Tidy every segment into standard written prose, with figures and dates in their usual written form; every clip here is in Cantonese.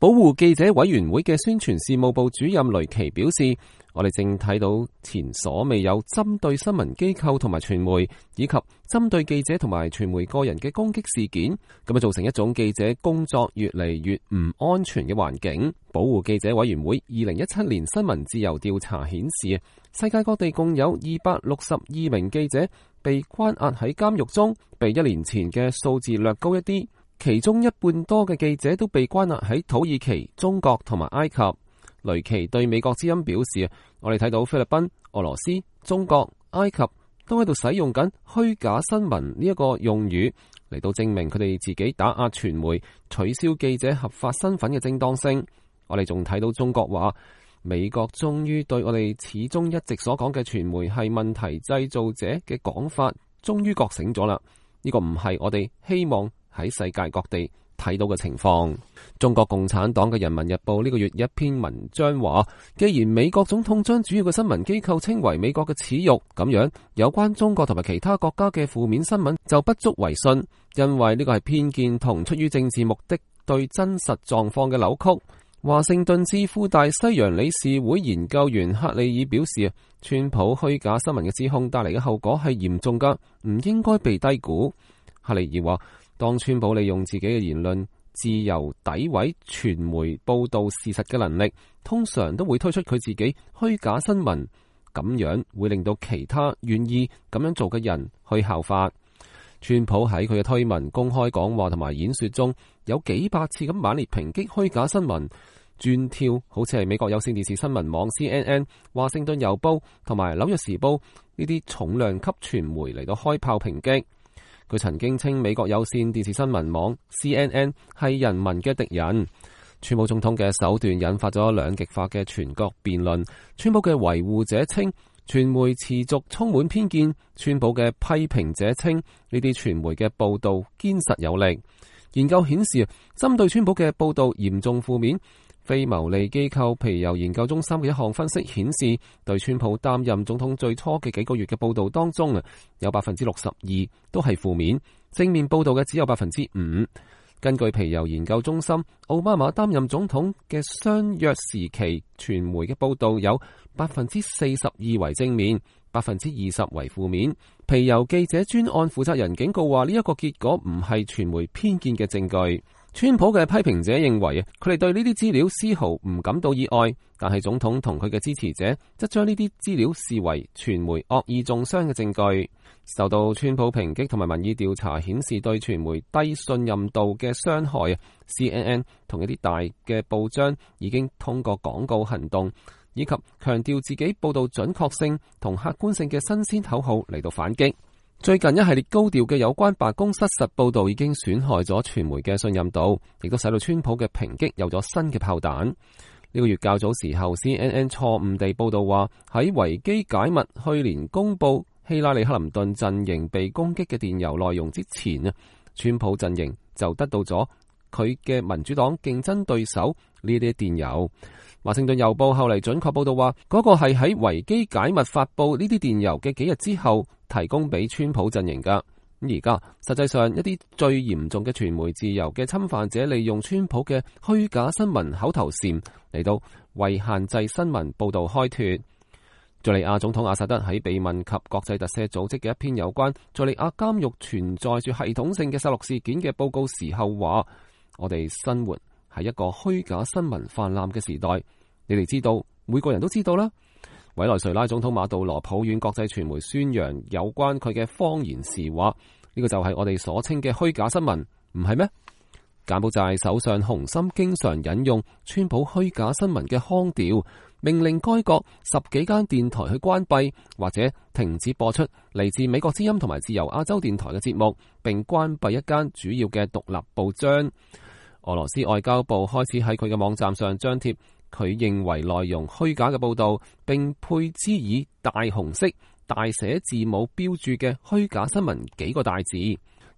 保護記者委員會嘅宣傳事務部主任雷奇表示，我哋正睇到前所未有針對新聞機構同埋傳媒，以及針對記者同埋傳媒個人嘅攻擊事件，咁造成一種記者工作越嚟越唔安全嘅環境。保護記者委員會2017年新聞自由調查顯示，世界各地共有262名記者被關押喺監獄中，比1年前嘅數字略高一啲。其中一半多嘅記者都被關押喺土耳其、中國同埋埃及。雷奇對美國之音表示，我哋睇到菲律賓、俄羅斯、中國、埃及都喺度使用緊虛假新聞呢一個用語嚟到證明佢哋自己打壓傳媒、取消記者合法身份嘅正當性。我哋仲睇到中國話，美國終於對我哋始終一直所講嘅傳媒係問題製造者嘅講法，終於覺醒咗啦。呢個唔係我哋希望喺世界各地睇到嘅情況。中國共產黨嘅《人民日報》呢個月一篇文章話，既然美國總統將主要嘅新聞機構稱為美國嘅恥辱，咁樣有關中國同埋其他國家嘅負面新聞就不足為信，因為呢個係偏見同出於政治目的對真實狀況嘅扭曲。華盛頓智庫大西洋理事會研究員克里爾表示，川普虛假新聞嘅指控帶嚟嘅後果係嚴重噶，唔應該被低估。克里爾話，當川普利用自己嘅言論自由詆毀傳媒報道事實嘅能力，通常都會推出佢自己虛假新聞，咁樣會令到其他願意咁樣做嘅人去效法。川普喺佢嘅推文、公開講話同埋演說中，有幾百次咁猛烈抨擊虛假新聞，專挑好似係美國有線電視新聞網 CNN、華盛頓郵報同埋紐約時報呢啲重量級傳媒嚟到開炮抨擊。佢曾經稱美國有線電視新聞網 CNN 係人民嘅敵人。川普總統嘅手段引發咗兩極化嘅全國辯論。川普嘅維護者稱傳媒持續充滿偏見，川普嘅批評者稱呢啲傳媒嘅報道堅實有力。研究顯示，針對川普嘅報道嚴重負面。非牟利機構皮尤研究中心嘅一項分析顯示，對川普擔任總統最初嘅幾個月嘅報道當中有62%都係負面，正面報道嘅只有5%。根據皮尤研究中心，奧巴馬擔任總統嘅相約時期，傳媒嘅報道有42%為正面，20%為負面。皮尤記者專案負責人警告話，呢一個結果唔係傳媒偏見嘅證據。川普嘅批評者認為，佢哋對呢啲資料絲毫唔感到意外，但係總統同佢嘅支持者則將呢啲資料視為傳媒惡意中傷嘅證據。受到川普抨擊同埋民意調查顯示對傳媒低信任度嘅傷害，CNN 同一啲大嘅報章已經通過廣告行動以及強調自己報道準確性同客觀性嘅新鮮口號嚟到反擊。最近一系列高調嘅有關白宮失實報道已經損害咗傳媒嘅信任度，亦都使到川普嘅抨擊有咗新嘅炮彈。呢個月較早時候 CNN 錯誤地報道話，喺維基解密去年公布希拉里克林頓陣營被攻擊嘅電郵內容之前，川普陣營就得到咗佢嘅民主黨競爭對手呢啲電郵。華盛頓郵報後嚟準確報道話，嗰個係喺維基解密發布呢啲電郵嘅幾日之後提供俾川普陣營噶。而家實際上一啲最嚴重嘅傳媒自由嘅侵犯者，利用川普嘅虛假新聞口頭禪嚟到為限制新聞報道開脫。敘利亞總統阿薩德喺被問及國際特赦組織嘅一篇有關敘利亞監獄存在住系統性嘅殺戮事件嘅報告時候話，我哋生活係一個虛假新聞泛濫嘅時代，你哋知道，每個人都知道啦。委內瑞拉總統馬杜羅抱怨國際傳媒宣揚有關佢嘅謊言時話，呢個就係我哋所稱嘅虛假新聞，唔係咩？柬埔寨首相洪森經常引用川普虛假新聞嘅腔調，命令該國10幾間電台去關閉或者停止播出嚟自美國之音同埋自由亞洲電台嘅節目，並關閉一間主要嘅獨立報章。俄羅斯外交部開始喺佢嘅網站上張貼佢認為內容虛假嘅報道，並配之以大紅色大寫字母標注嘅虛假新聞幾個大字。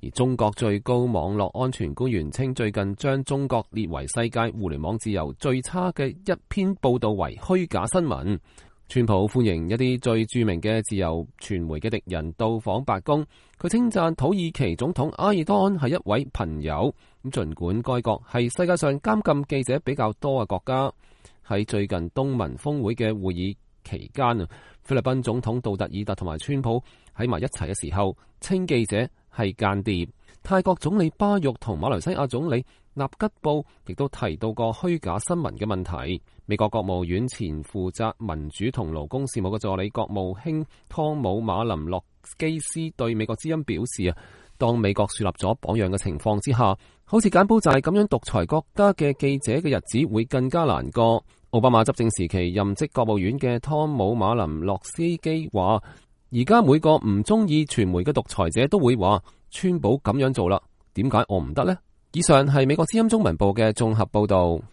而中國最高網絡安全官員稱，最近將中國列為世界互聯網自由最差嘅一篇報道為虛假新聞。川普歡迎一啲最著名嘅自由傳媒嘅敵人到訪白宮，佢稱讚土耳其總統埃爾多安係一位朋友，咁儘管該國係世界上監禁記者比較多嘅國家，喺最近東盟峰會嘅會議期間啊，菲律賓總統杜特爾特同埋川普喺埋一齊嘅時候，稱記者係間諜。泰國總理巴育同馬來西亞總理納吉布亦都提到過虛假新聞嘅問題。美國國務院前負責民主同勞工事務嘅助理國務卿湯姆馬林洛基斯對美國之音表示啊，當美國樹立咗榜樣嘅情況之下，好似柬埔寨咁樣獨裁國家嘅記者嘅日子會更加難過。奧巴馬執政時期任職國務院嘅湯姆馬林洛斯基話，而家每個唔中意傳媒嘅獨裁者都會話，川普咁樣做啦，點解我唔得呢？以上係美國之音中文部嘅綜合報道。